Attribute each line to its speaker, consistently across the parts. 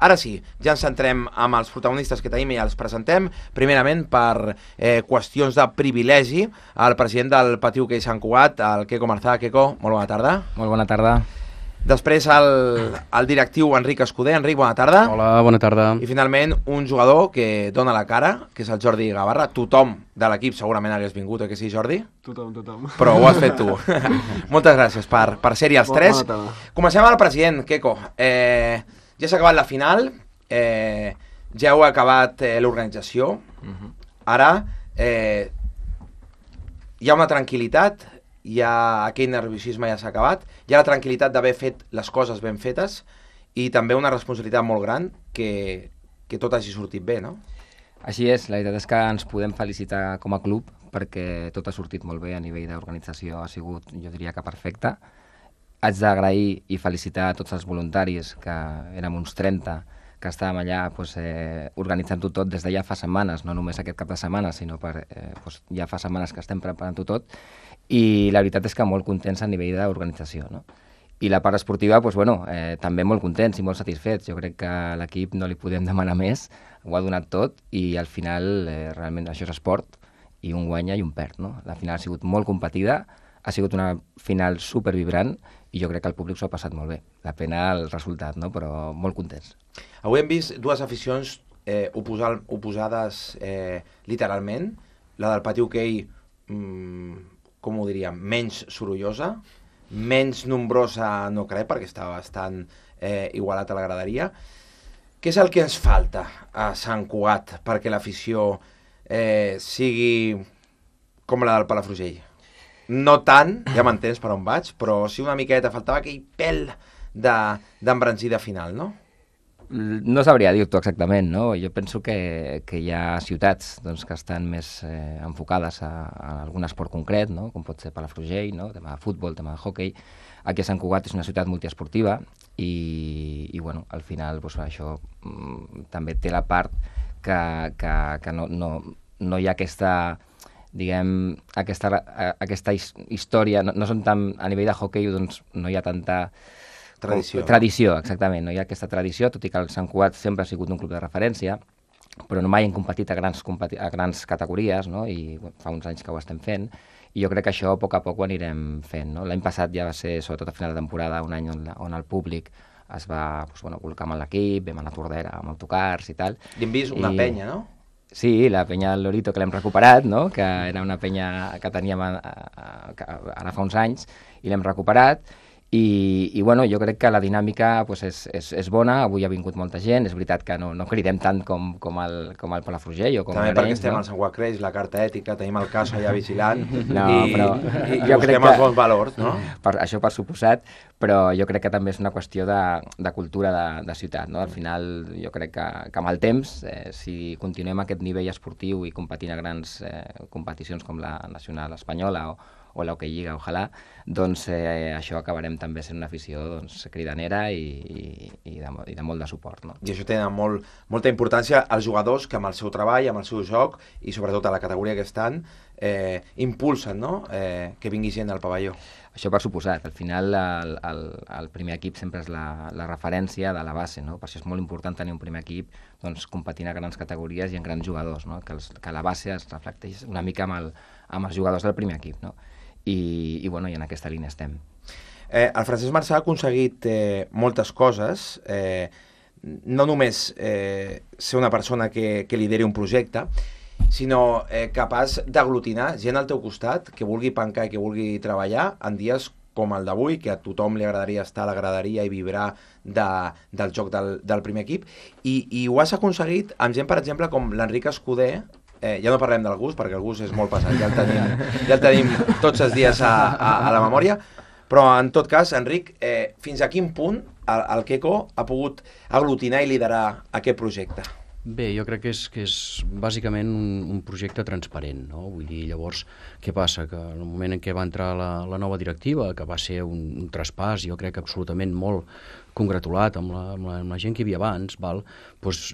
Speaker 1: Ara sí, ja ens centrem amb els protagonistes que tenim i els presentem. Primerament, per qüestions de privilegi, el president del Patiu Hoquei Sant Cugat, el Queco Marzà. Queco, molt bona tarda.
Speaker 2: Molt bona tarda.
Speaker 1: Després el directiu Enric Escuder. Enric, bona tarda.
Speaker 3: Hola, bona tarda.
Speaker 1: I finalment un jugador que dona la cara, que és el Jordi Gavarra. Tothom de l'equip segurament hagués vingut, que sí, Jordi?
Speaker 3: Tothom.
Speaker 1: Però ho has fet tu. Moltes gràcies per ser-hi els tres. Comencem amb el president, Queco. Ja s'ha acabat la final, ja heu acabat l'organització. Ara hi ha una tranquil·litat, aquell nerviosisme ja s'ha acabat, hi ha la tranquil·litat d'haver fet les coses ben fetes i també una responsabilitat molt gran que tot hagi sortit bé, no?
Speaker 2: Així és, la veritat és que ens podem felicitar com a club perquè tot ha sortit molt bé a nivell d'organització, ha sigut, jo diria que perfecte. Haig d'agrair i felicitar a tots els voluntaris, que érem uns 30, que estàvem allà organitzant-ho tot des de ja fa setmanes, no només aquest cap de setmana, sinó ja fa setmanes que estem preparant-ho tot, i la veritat és que molt contents a nivell d'organització, no? I la part esportiva, també molt contents i molt satisfets. Jo crec que a l'equip no li podem demanar més, ho ha donat tot i al final realment això és esport i un guanya i un perd, no? La final ha sigut molt competida, ha sigut una final supervibrant i jo crec que el públic s'ho ha passat molt bé. La pena el resultat, no? Però molt contents.
Speaker 1: Avui hem vist dues aficions oposades literalment. La del Patiu Hoquei, com ho diríem, menys sorollosa, menys nombrosa no crec, perquè estava bastant igualat a la graderia. Què és el que ens falta a Sant Cugat perquè l'afició sigui com la del Palafrugell? No tant, ja m'entens per on vaig, però sí una miqueta, faltava aquell pèl d'embranzida final, no?
Speaker 2: No sabria dir-t'ho exactament, no? Jo penso que hi ha ciutats que estan més enfocades a algun esport concret, no? Com pot ser Palafrugell, no? Tema de futbol, tema de hoquei. Aquí a Sant Cugat és una ciutat multiesportiva i al final això també té la part que no hi ha aquesta, diguem, aquesta història, no són tan, a nivell de hoquei no hi ha tanta tradició, exactament, no hi ha aquesta tradició, tot i que el Sant Cugat sempre ha sigut un club de referència, però no mai hem competit a grans categories, no? I fa uns anys que ho estem fent, i jo crec que això a poc ho anirem fent, no? L'any passat ja va ser, sobretot a final de temporada, un any on el públic es va col·locar amb l'equip, vam anar a Tordera amb autocars i tal.
Speaker 1: I hem vist una penya, no?
Speaker 2: Sí, la penya del Lorito, que l'hem recuperat, no? Que era una penya que teníem ara fa uns anys, i l'hem recuperat. I jo crec que la dinàmica és bona, avui ha vingut molta gent, és veritat que no cridem tant com el Palafrugell o com
Speaker 1: també
Speaker 2: l'Arenys,
Speaker 1: perquè estem al Sant Cugat Creix, la carta ètica, tenim el cas allà vigilant i
Speaker 2: jo
Speaker 1: busquem els bons valors, no?
Speaker 2: Això per suposat, però jo crec que també és una qüestió de cultura de ciutat, no? Al final jo crec que amb el temps, si continuem a aquest nivell esportiu i competint a grans competicions com la nacional espanyola o l'Hoquei Lliga, ojalà, doncs això acabarem també sent una afició cridanera i de molt de suport, no?
Speaker 1: I això té molta importància als jugadors que amb el seu treball, amb el seu joc i sobretot a la categoria que estan, impulsen, no? Que vingui gent al pavelló.
Speaker 2: Això per suposat. Al final el primer equip sempre és la referència de la base, no? Per això és molt important tenir un primer equip competint a grans categories i en grans jugadors, no? Que la base es reflecteix una mica amb els jugadors del primer equip, no? I en aquesta línia estem.
Speaker 1: El Francesc Marzà ha aconseguit moltes coses, no només ser una persona que lideri un projecte, sinó capaç d'aglutinar gent al teu costat que vulgui pencar i que vulgui treballar en dies com el d'avui, que a tothom li agradaria estar a la graderia i vibrar del joc del primer equip, i ho has aconseguit amb gent, per exemple, com l'Enric Escuder. Ja no parlem del Gus, perquè el Gus és molt pesat, ja el tenim tots els dies a la memòria, però en tot cas, Enric, fins a quin punt el Queco ha pogut aglutinar i liderar aquest projecte?
Speaker 3: Bé, jo crec que és bàsicament un projecte transparent, no? Vull dir, llavors, què passa? Que en el moment en què va entrar la nova directiva, que va ser un traspàs, jo crec que absolutament molt congratulat amb la gent que hi havia abans, val? Doncs,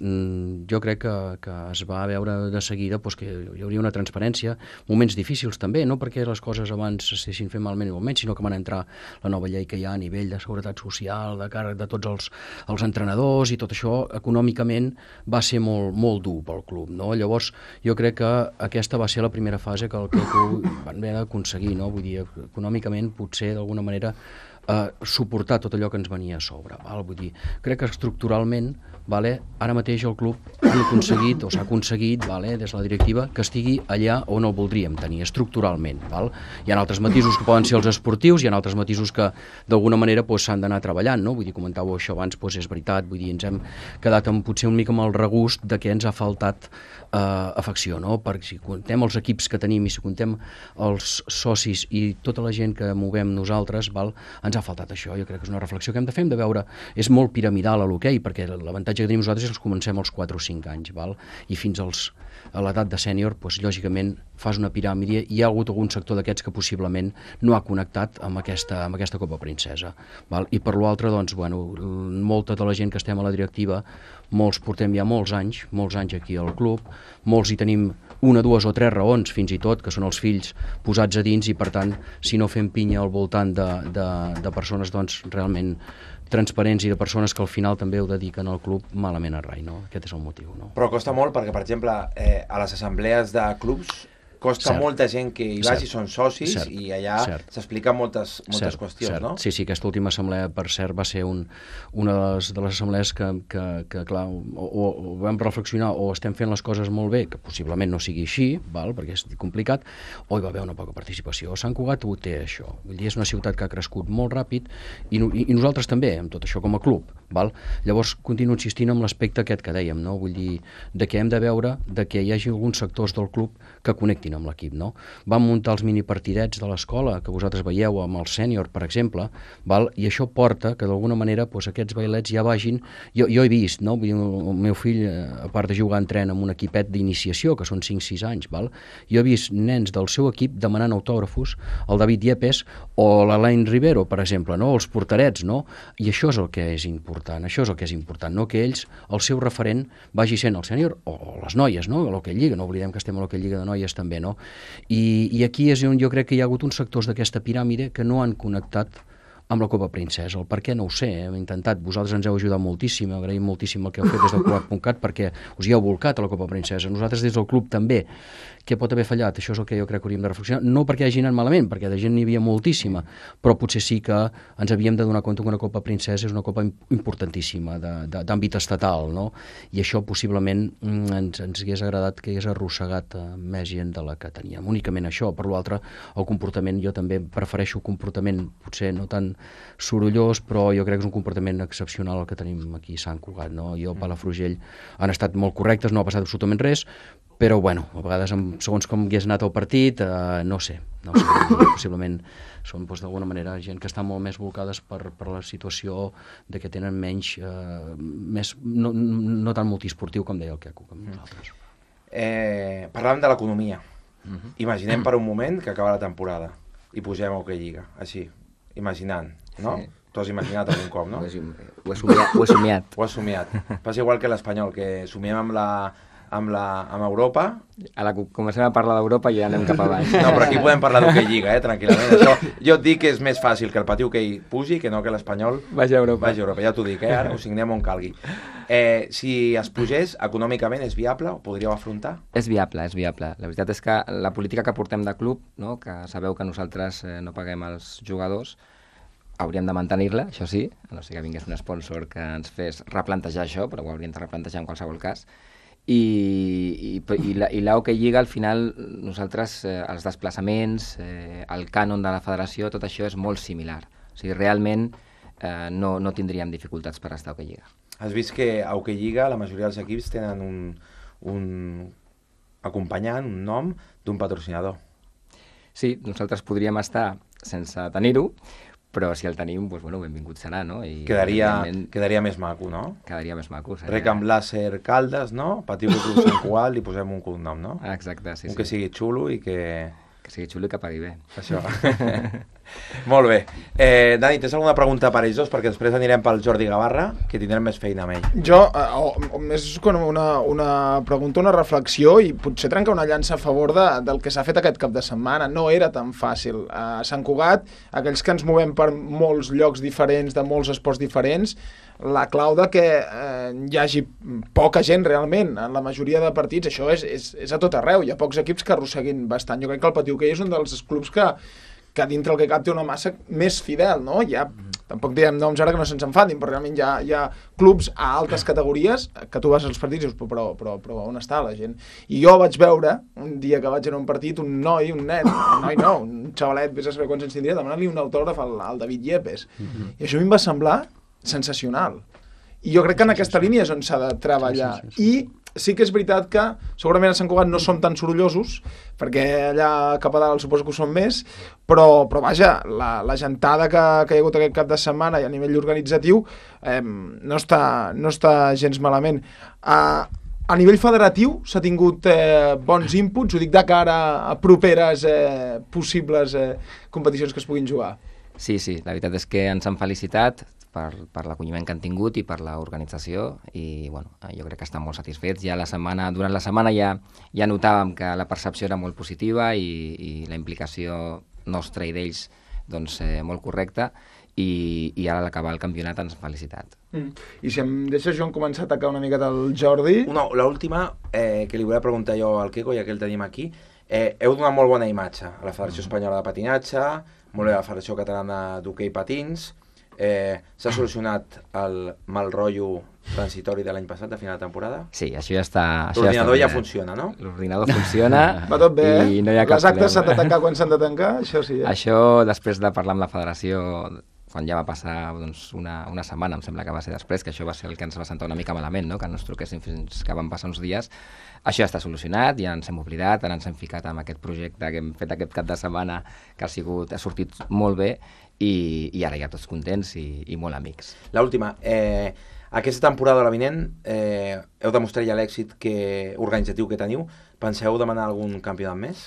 Speaker 3: jo crec que es va veure de seguida que hi hauria una transparència, moments difícils també, no perquè les coses abans s'estessin fent malament o menys, sinó que van entrar la nova llei que hi ha a nivell de seguretat social, de càrrec de tots els entrenadors, i tot això econòmicament va ser molt dur pel club, no? Llavors jo crec que aquesta va ser la primera fase que el club van haver d'aconseguir, no? Vull dir, econòmicament potser d'alguna manera suportar tot allò que ens venia a sobre, val? Vull dir, crec que estructuralment, vale, ara mateix el club s'ha aconseguit, vale, des de la directiva, que estigui allà on el voldríem tenir, estructuralment, val? Hi ha altres matisos que poden ser els esportius, hi ha altres matisos que d'alguna manera s'han d'anar treballant, no? Vull dir, comentàveu això abans, és veritat, vull dir, ens hem quedat potser una mica amb el regust de que ens ha faltat afecció, no? Perquè si comptem els equips que tenim i si comptem els socis i tota la gent que movem nosaltres, val, ens ha faltat això. Jo crec que és una reflexió que hem de veure. És molt piramidal a l'hoquei, perquè l'avantatge que tenim nosaltres és que comencem als 4 o 5 anys, val? I fins a l'edat de sènior, lògicament, fas una piràmide i hi ha hagut algun sector d'aquests que possiblement no ha connectat amb aquesta Copa Princesa, val? I per l'altre, doncs, molta de la gent que estem a la directiva, molts portem ja molts anys aquí al club, molts hi tenim 1, 2 o 3 raons, fins i tot, que són els fills posats a dins, i per tant, si no fem pinya al voltant de persones doncs realment transparents i de persones que al final també ho dediquen al club, malament a rai, no? Aquest és el motiu, no?
Speaker 1: Però costa molt perquè, per exemple, a les assemblees de clubs costa molta gent que hi vagi, són socis, i allà s'expliquen moltes qüestions, no?
Speaker 3: Sí, aquesta última assemblea, per cert, va ser una de les assemblees que clar, o vam reflexionar, o estem fent les coses molt bé, que possiblement no sigui així, val, perquè és complicat, o hi va haver una poca participació. Sant Cugat ho té, això. Vull dir, és una ciutat que ha crescut molt ràpid, i nosaltres també, amb tot això com a club, val? Llavors, continuo insistint en l'aspecte aquest que dèiem, no? Vull dir, que hem de veure que hi hagi alguns sectors del club que connectin amb l'equip, no? Vam muntar els minipartidets de l'escola, que vosaltres veieu amb el sènior, per exemple, val? I això porta que d'alguna manera aquests bailets ja vagin... Jo he vist, no? Vull dir, el meu fill, a part de jugar en tren amb un equipet d'iniciació, que són 5-6 anys, val? Jo he vist nens del seu equip demanant autògrafos, el David Yepes o l'Alain Rivero, per exemple, no? Els porterets, no? I això és el que és important, no? Que ells, el seu referent, vagi sent el sènior o les noies, no? A l'Hoquei Lliga, no oblidem que estem a l'Hoquei Lliga de noies també, no? I aquí és on jo crec que hi ha hagut uns sectors d'aquesta piràmide que no han connectat amb la Copa Princesa. El per què no ho sé, hem intentat, vosaltres ens heu ajudat moltíssim, agraïm moltíssim el que heu fet des del Cugat.cat perquè us hi heu volcat a la Copa Princesa, nosaltres des del club també. Què pot haver fallat? Això és el que jo crec que hauríem de reflexionar, no perquè hagi anat malament, perquè de gent n'hi havia moltíssima, però potser sí que ens havíem de donar compte que una Copa Princesa és una copa importantíssima d'àmbit estatal, no? I això possiblement ens hagués agradat que hagués arrossegat més gent de la que teníem. Únicament això. Per l'altre, el comportament, jo també prefereixo un comportament potser no tan sorollós, però jo crec que és un comportament excepcional el que tenim aquí a Sant Cugat, no? Jo a Palafrugell han estat molt correctes, no ha passat absolutament res, però bueno, a vegades segons com hagués anat el partit, no sé, possiblement són d'alguna manera gent que està molt més volcades per la situació de que tenen menys, no tan multiesportiu com deia el Queco, com nosaltres.
Speaker 1: Parlàvem de l'economia. Imaginem per un moment que acaba la temporada i pugem a Hoquei Lliga, així, imaginant, no?
Speaker 2: Sí.
Speaker 1: Tu has imaginat algun cop, no?
Speaker 2: Ho he somiat.
Speaker 1: Ho has somiat. Passa igual que l'Espanyol, que somiem amb Europa.
Speaker 2: Comencem a parlar d'Europa i ja anem cap avall.
Speaker 1: No, però aquí podem parlar d'Hoquei Lliga, tranquil·lament. Això, jo et dic que és més fàcil que el Patí Hoquei pugi que no que l'Espanyol
Speaker 2: vagi a Europa.
Speaker 1: Ja t'ho dic, ara ho signem on calgui. Si es pugés, econòmicament és viable? Ho podríeu afrontar?
Speaker 2: És viable. La veritat és que la política que portem de club, no? Que sabeu que nosaltres no paguem els jugadors, hauríem de mantenir-la, això sí, a no ser que vingués un sponsor que ens fes replantejar això, però ho hauríem de replantejar en qualsevol cas. I la Hoquei Lliga, al final, nosaltres, els desplaçaments, el cànon de la federació, tot això és molt similar. O sigui, realment no tindríem dificultats per estar a Hoquei Lliga.
Speaker 1: Has vist que a Hoquei Lliga la majoria dels equips tenen un acompanyant, un nom d'un patrocinador.
Speaker 2: Sí, nosaltres podríem estar sense tenir-ho, però si el tenim, doncs, bueno, benvingut serà, no? I
Speaker 1: quedaria més maco, no?
Speaker 2: Quedaria més maco.
Speaker 1: Recamp Láser Caldes, no? Patí Club Sant Cugat, li posem un cognom, no?
Speaker 2: Exacte, sí.
Speaker 1: Un que sigui xulo i que...
Speaker 2: Que sigui xulo i que pagui bé.
Speaker 1: Això. Molt bé. Dani, tens alguna pregunta per ells dos? Perquè després anirem pel Jordi Gavarra, que tindrem més feina amb ell.
Speaker 4: Jo, més com una pregunta, una reflexió, i potser trencar una llança a favor del que s'ha fet aquest cap de setmana. No era tan fàcil. A Sant Cugat, aquells que ens movem per molts llocs diferents, de molts esports diferents, la clau de que hi hagi poca gent realment en la majoria de partits, això és a tot arreu. Hi ha pocs equips que arrosseguin bastant. Jo crec que el Patí Hoquei és un dels clubs que dintre el que cap té una massa més fidel, no? Tampoc diem noms ara que no se'ns enfadin, però realment hi ha clubs a altes categories que tu vas als partits i dius, però on està la gent? I jo vaig veure, un dia que vaig anar a un partit, un xavalet, vés a saber quants anys tindria, demanant-li un autògraf al David Yepes. I això a mi em va semblar sensacional. I jo crec que en aquesta línia és on s'ha de treballar. I sí que és veritat que segurament a Sant Cugat no som tan sorollosos, perquè allà cap a dalt suposo que ho som més, però vaja, la gentada que hi ha hagut aquest cap de setmana i a nivell organitzatiu no està gens malament. A nivell federatiu s'ha tingut bons inputs, ho dic de cara a properes possibles competicions que es puguin jugar.
Speaker 2: Sí, la veritat és que ens han felicitat per l'acolliment que han tingut i per l'organització, i bueno, jo crec que estan molt satisfets. Durant la setmana ja notàvem que la percepció era molt positiva i la implicació nostra i d'ells doncs, molt correcta, i ara a l'acabar el campionat ens han felicitat.
Speaker 4: I si em deixes, Joan, començar a atacar una miqueta el Jordi?
Speaker 1: L'última que li volia preguntar jo al Quico, ja que el tenim aquí, heu donat molt bona imatge a la Federació Espanyola de Patinatge, molt bé a la Federació Catalana d'Hoquei Patins. S'ha solucionat el mal rotllo transitori de l'any passat, de final de temporada?
Speaker 2: Sí, això ja està...
Speaker 1: L'ordinador ja funciona, no?
Speaker 2: L'ordinador funciona.
Speaker 4: Va tot bé,
Speaker 2: i no hi ha cap
Speaker 4: les actes s'han de tancar quan s'han de tancar, això sí.
Speaker 2: Això, després de parlar amb la federació, quan ja va passar doncs, una setmana, em sembla que va ser després, que això va ser el que ens va sentar una mica malament, no? Que no ens truquessin fins que van passar uns dies. Això ja està solucionat, ja ens hem oblidat, ara ens hem ficat amb aquest projecte que hem fet aquest cap de setmana, que ha sortit molt bé, i ara ja tots contents i molt amics.
Speaker 1: L'última, aquesta temporada, la vinent, heu demostrat ja l'èxit organitzatiu que teniu. Penseu demanar algun campionat més?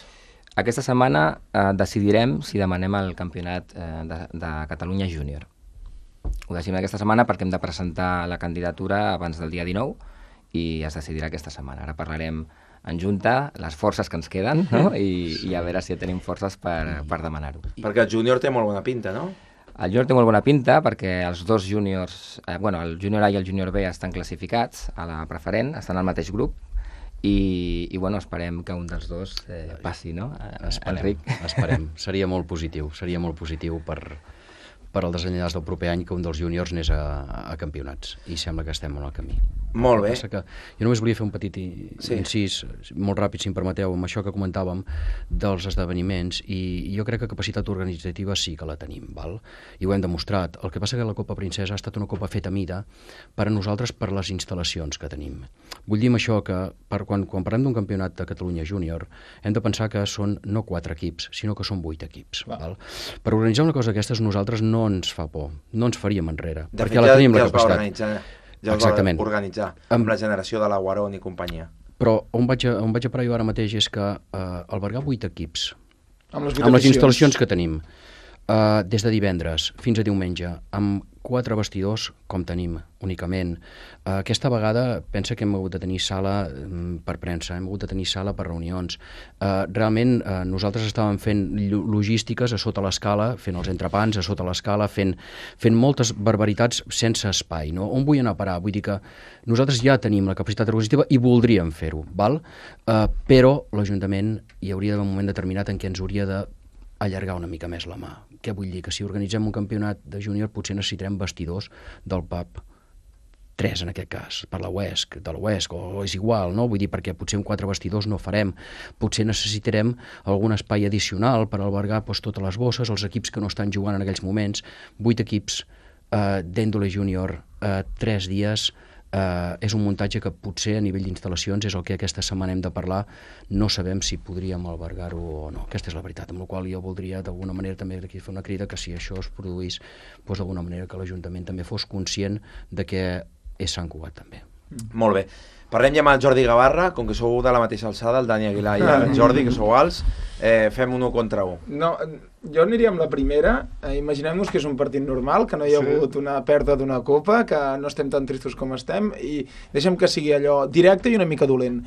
Speaker 2: Aquesta setmana decidirem si demanem el campionat de Catalunya Júnior. Ho decidim aquesta setmana perquè hem de presentar la candidatura abans del dia 19 i es decidirà aquesta setmana. Ara parlarem en junta les forces que ens queden, no? I a veure si tenim forces per demanar-ho.
Speaker 1: Perquè el júnior té molt bona pinta, no?
Speaker 2: El júnior té molt bona pinta perquè els dos júniors, el júnior A i el júnior B estan classificats a la preferent, estan al mateix grup, i bueno, esperem que un dels dos passi, no? Enric?
Speaker 3: Esperem. Seria molt positiu per al desenllaç del proper any que un dels júniors anés a campionats, i sembla que estem en el camí.
Speaker 1: Molt bé.
Speaker 3: Jo només volia fer un petit incís, molt ràpid, si em permeteu, amb això que comentàvem dels esdeveniments, i jo crec que capacitat organitzativa sí que la tenim, val? I ho hem demostrat. El que passa que la Copa Princesa ha estat una copa feta a mida per a nosaltres, per les instal·lacions que tenim. Vull dir amb això que quan parlem d'un campionat de Catalunya Júnior hem de pensar que són no 4 equips, sinó que són 8 equips. Val? Per organitzar una cosa d'aquestes nosaltres no ens fa por, no ens faríem enrere, perquè la tenim la capacitat.
Speaker 1: Ja els va organitzar amb la generació de la Guarón i companyia.
Speaker 3: Però on vaig a parar jo ara mateix és que albergar 8 equips
Speaker 4: amb
Speaker 3: les instal·lacions que tenim des de divendres fins a diumenge, amb 4 vestidors com tenim únicament. Aquesta vegada pensa que hem hagut de tenir sala per premsa, hem hagut de tenir sala per reunions. Realment nosaltres estàvem fent logístiques a sota l'escala, fent els entrepans a sota l'escala, fent moltes barbaritats sense espai, no? On vull anar a parar? Vull dir que nosaltres ja tenim la capacitat organitzativa i voldríem fer-ho, val? Però l'Ajuntament hi hauria d'haver un moment determinat en què ens hauria de allargar una mica més la mà. Què vull dir? Que si organitzem un campionat de júnior potser necessitarem vestidors del pub 3 en aquest cas, per de l'Oest, o és igual, no? Vull dir, perquè potser amb 4 vestidors no farem. Potser necessitarem algun espai addicional per albergar totes les bosses, els equips que no estan jugant en aquells moments. 8 equips d'Èndole Júnior 3 dies, és un muntatge que potser a nivell d'instal·lacions és el que aquesta setmana hem de parlar. No sabem si podríem albergar-ho o no. Aquesta és la veritat, amb la qual jo voldria d'alguna manera també fer una crida que si això es produís, d'alguna manera que l'Ajuntament també fos conscient de que és Sant Cugat també.
Speaker 1: Molt bé. Parlem ja amb el Jordi Gavarra, com que sou de la mateixa alçada, el Dani Aguilar i el Jordi, que sou alts. fem un 1 contra 1.
Speaker 4: No, jo aniria amb la primera. Imaginem-nos que és un partit normal, que no hi ha hagut una pèrdua d'una copa, que no estem tan tristos com estem, i deixem que sigui allò directe i una mica dolent.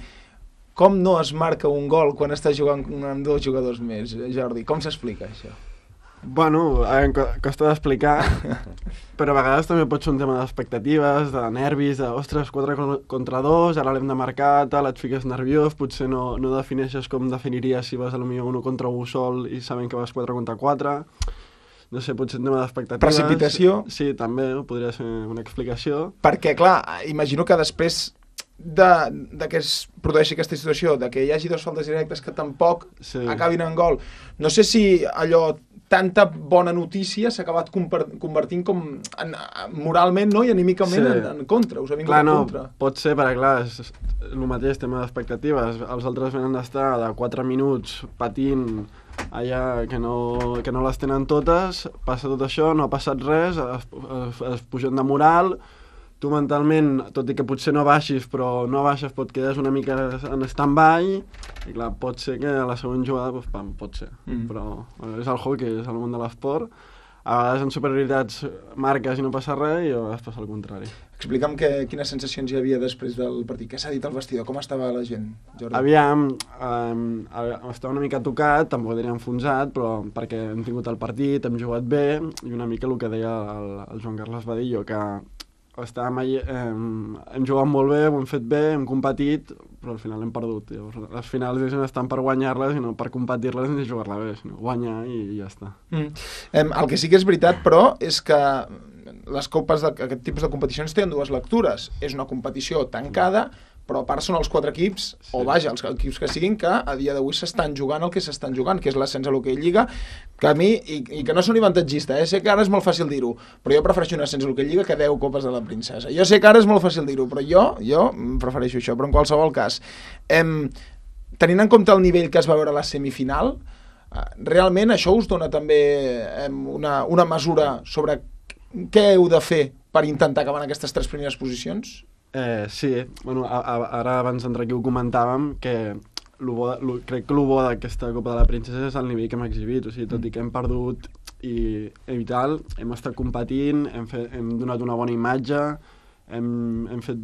Speaker 4: Com no es marca un gol quan està jugant amb 2 jugadors més, Jordi? Com s'explica això?
Speaker 5: Bueno, costa d'explicar, però a vegades també pot ser un tema d'expectatives, de nervis, de, ostres, 4 contra 2, ara l'hem de marcar, tal, et fiques nerviós, potser no defineixes com definiries si vas a lo millor 1 contra 1 sol i sabent que vas 4 contra 4. No sé, potser un tema d'expectatives.
Speaker 4: Precipitació?
Speaker 5: Sí, també, podria ser una explicació.
Speaker 4: Perquè, clar, imagino que després de que es produeixi aquesta situació, de que hi hagi 2 faltes directes que tampoc acabin en gol. No sé si allò, tanta bona notícia s'ha acabat convertint com moralment, no? I anímicament en contra. Us ha vingut en contra.
Speaker 5: Pot ser, perquè clar, és el mateix tema d'expectatives. Els altres venen d'estar de 4 minuts patint allà que no les tenen totes, passa tot això, no ha passat res, es pugen de moral. Tu mentalment, tot i que potser no baixis, però no baixes, pot quedar una mica en stand-by, i clar, pot ser que a la següent jugada, doncs, pam, pot ser. Però és el hockey, és el món de l'esport. A vegades en superioritats marques i no passa res, i a vegades passa el contrari.
Speaker 4: Explica'm quines sensacions hi havia després del partit. Què s'ha dit al vestidor? Com estava la gent, Jordi?
Speaker 5: Aviam, estava una mica tocat, tampoc diria enfonsat, però perquè hem tingut el partit, hem jugat bé, i una mica el que deia el Joan Carles Badillo, que hem jugat molt bé, ho hem fet bé, hem competit, però al final hem perdut. Llavors, les finals estan per guanyar-les i no per competir-les ni jugar-la bé, sinó guanyar i ja està.
Speaker 4: El que sí que és veritat, però, és que les copes d'aquest tipus de competicions tenen 2 lectures. És una competició tancada, però a part són els 4 equips, o vaja, els equips que siguin, que a dia d'avui s'estan jugant el que s'estan jugant, que és l'ascens a l'hoquei Lliga, que a mi, i que no són avantatgista, sé que ara és molt fàcil dir-ho, però jo prefereixo un ascens a l'hoquei Lliga que 10 copes de la princesa. Jo sé que ara és molt fàcil dir-ho, però jo prefereixo això, però en qualsevol cas, tenint en compte el nivell que es va veure a la semifinal, realment això us dona també una mesura sobre què heu de fer per intentar acabar en aquestes 3 primeres posicions?
Speaker 5: Sí, bueno, ara abans d'entrar aquí ho comentàvem, que crec que el bo d'aquesta Copa de la Princesa és el nivell que hem exhibit, o sigui, tot i que hem perdut i tal, hem estat competint, hem donat una bona imatge, hem fet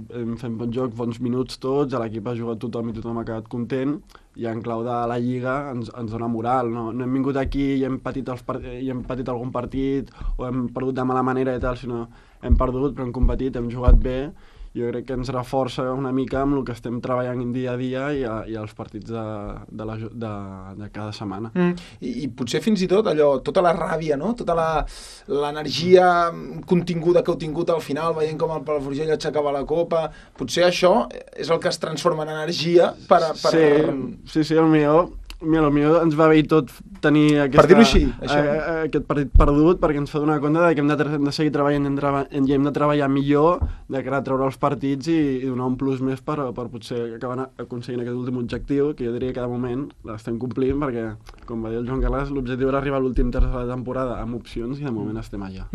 Speaker 5: bon joc, bons minuts tots, l'equip ha jugat tothom i tothom ha quedat content, i en clau de la Lliga ens dona moral, no hem vingut aquí i hem patit algun partit o hem perdut de mala manera i tal, sinó hem perdut però hem competit, hem jugat bé. Jo crec que ens reforça una mica amb el que estem treballant dia a dia i els partits de cada setmana.
Speaker 4: I potser fins i tot allò, tota la ràbia, no? Tota l'energia continguda que heu tingut al final, veient com el Palafrugell aixecava la copa, potser això és el que es transforma en energia per...
Speaker 5: Sí, el millor ens va bé tot tenir
Speaker 4: per dir-ho així,
Speaker 5: aquest partit perdut, perquè ens fa donar compte que hem de seguir treballant i hem de treballar millor de cara a treure els partits i donar un plus més per potser acabar aconseguint aquest últim objectiu, que jo diria que de moment l'estem complint, perquè, com va dir el Joan Carles, l'objectiu era arribar a l'últim terç de la temporada amb opcions i de moment estem allà.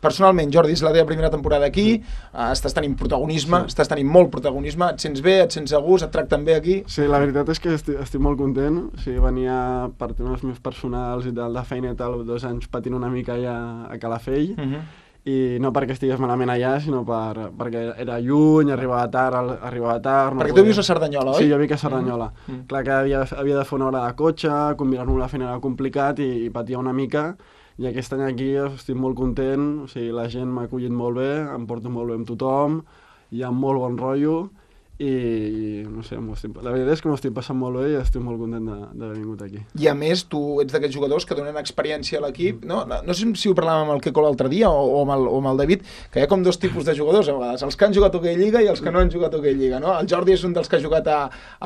Speaker 4: Personalment, Jordi, és la teva primera temporada aquí, estàs tenint protagonisme, estàs tenint molt protagonisme, et sents bé, et sents a gust, et tracten bé aquí?
Speaker 5: Sí, la veritat és que estic molt content, venia per temes més personals i tal, de feina i tal, 2 anys patint una mica allà a Calafell, i no perquè estigués malament allà, sinó perquè era lluny, arribava tard...
Speaker 4: Perquè tu vius a Cerdanyola, oi?
Speaker 5: Sí, jo vic a Cerdanyola. Clar que havia de fer una hora de cotxe, combinar-ho amb la feina era complicat i patia una mica, i aquest any aquí estic molt content, o sigui, la gent m'ha acollit molt bé, em porto molt bé amb tothom, hi ha molt bon rotllo, i no sé, la veritat és que m'ho estic passant molt bé i estic molt content d'haver vingut aquí.
Speaker 4: I a més, tu ets d'aquests jugadors que donen experiència a l'equip, no sé si ho parlàvem amb el Queco l'altre dia o amb el David, que hi ha com 2 tipus de jugadors a vegades, els que han jugat a Hockey Lliga i els que no han jugat a Hockey Lliga, no? El Jordi és un dels que ha jugat a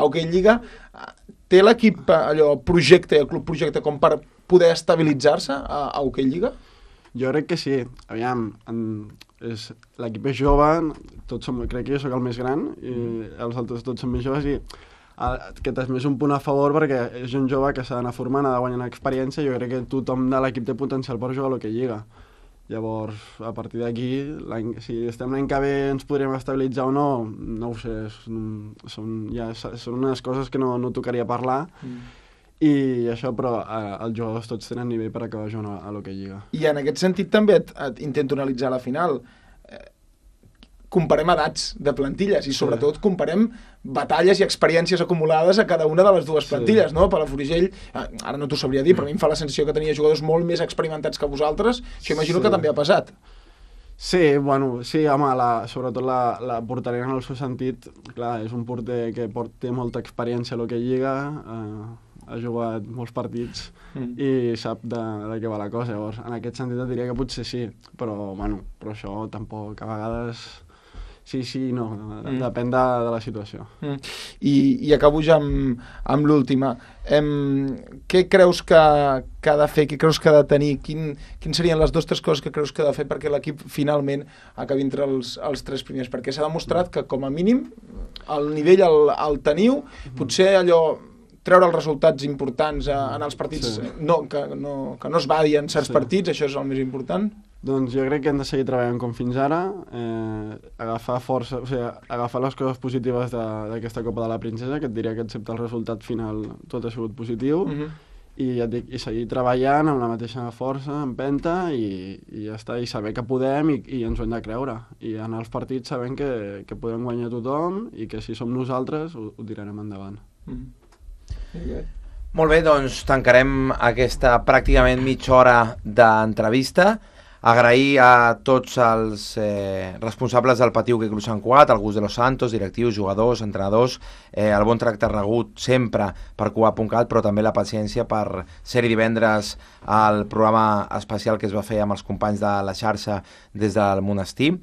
Speaker 4: Hockey Lliga. Té l'equip allò projecte, el club projecte, com per poder estabilitzar-se a Hockey Lliga?
Speaker 5: Jo crec que sí. Aviam, l'equip és jove, crec que jo sóc el més gran, i els altres tots són més joves, i aquest és més un punt a favor perquè és un jove que s'ha d'anar formant, ha de guanyar experiència, i jo crec que tothom de l'equip té potencial per jugar a l'Hockey Lliga. Llavors, a partir d'aquí, si estem l'any que ve ens podrem estabilitzar o no, no ho sé, són unes coses que no tocaria parlar, i això, però els jugadors tots tenen nivell per acabar jugant a l'Hockey Lliga.
Speaker 4: I en aquest sentit també et intento analitzar la final. Comparem edats de plantilles i sobretot comparem batalles i experiències acumulades a cada una de les dues plantilles, no? Palafrugell, ara no t'ho sabria dir, però a mi em fa la sensació que tenia jugadors molt més experimentats que vosaltres, això imagino que també ha passat.
Speaker 5: Sí, bueno, sí, home, sobretot la porteria en el seu sentit, clar, és un porter que té molta experiència a l'Hockey Lliga, ha jugat molts partits i sap de què va la cosa. Llavors, en aquest sentit et diria que potser sí, però això tampoc, a vegades sí, no, depèn de la situació.
Speaker 4: I acabo ja amb l'última. Què creus que ha de fer, què creus que ha de tenir, quins serien les 2 o 3 coses que creus que ha de fer perquè l'equip finalment acabi entre els 3 primers? Perquè s'ha demostrat que com a mínim el nivell el teniu, potser allò treure els resultats importants en els partits, que no es badi en certs partits, això és el més important?
Speaker 5: Doncs jo crec que hem de seguir treballant com fins ara, agafar força, o sigui, agafar les coses positives d'aquesta Copa de la Princesa, que et diria que excepte el resultat final tot ha sigut positiu, i ja et dic, i seguir treballant amb la mateixa força, empenta, i ja està, i saber que podem i ens ho hem de creure. I anar als partits sabent que podem guanyar tothom i que si som nosaltres ho tirarem endavant.
Speaker 1: Molt bé, doncs tancarem aquesta pràcticament mitja hora d'entrevista. Agrair a tots els responsables del Pati Hockey Club Sant Cugat, el Gus de los Santos, directius, jugadors, entrenadors, el bon tracte rebut sempre per Cugat.cat, però també la paciència per ser-hi divendres al programa especial que es va fer amb els companys de la xarxa des del monestir,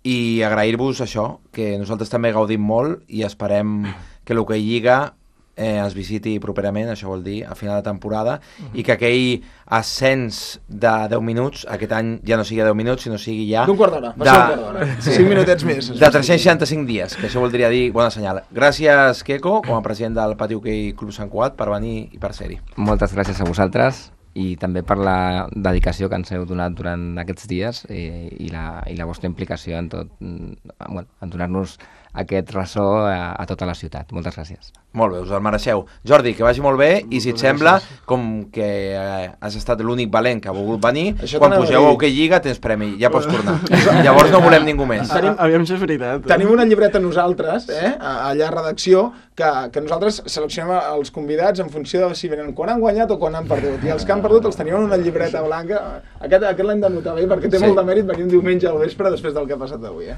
Speaker 1: i agrair-vos això, que nosaltres també gaudim molt i esperem que l'Hockey Lliga es visiti properament, això vol dir a final de temporada, i que aquell ascens de 10 minuts aquest any ja no sigui 10 minuts, sinó sigui ja
Speaker 4: d'un quart d'hora, va ser un quart d'hora, 5 minutets més,
Speaker 1: de 365 dies, que això voldria dir bona senyal. Gràcies, Queco, com a president del Pati Hockey Club Sant Cugat, per venir i per ser-hi.
Speaker 2: Moltes gràcies a vosaltres i també per la dedicació que ens heu donat durant aquests dies i la vostra implicació en tot, en donar-nos aquest ressò a tota la ciutat. Moltes gràcies.
Speaker 1: Molt bé, us el mereixeu. Jordi, que vagi molt bé, i si et sembla, com que has estat l'únic valent que ha volgut venir, quan pugeu a Hockey Lliga tens premi, ja pots tornar. Llavors no volem ningú més.
Speaker 5: Aviam si és veritat.
Speaker 4: Tenim una llibreta nosaltres, allà a redacció, que nosaltres seleccionem els convidats en funció de si venen quan han guanyat o quan han perdut. I els que han perdut els tenim en una llibreta blanca. Aquest l'hem de notar bé, perquè té molt de mèrit venir un diumenge al vespre després del que ha passat avui.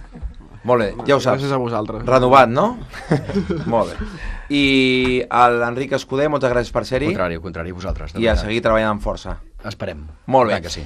Speaker 1: Molt bé, ja ho saps.
Speaker 5: Gràcies a vosaltres.
Speaker 1: Renovat, no? Molt bé. I a l'Enric Escuder, moltes gràcies per ser-hi.
Speaker 3: Al contrari, vosaltres.
Speaker 1: I a seguir treballant amb força.
Speaker 3: Esperem.
Speaker 1: Molt bé.
Speaker 3: Que sí.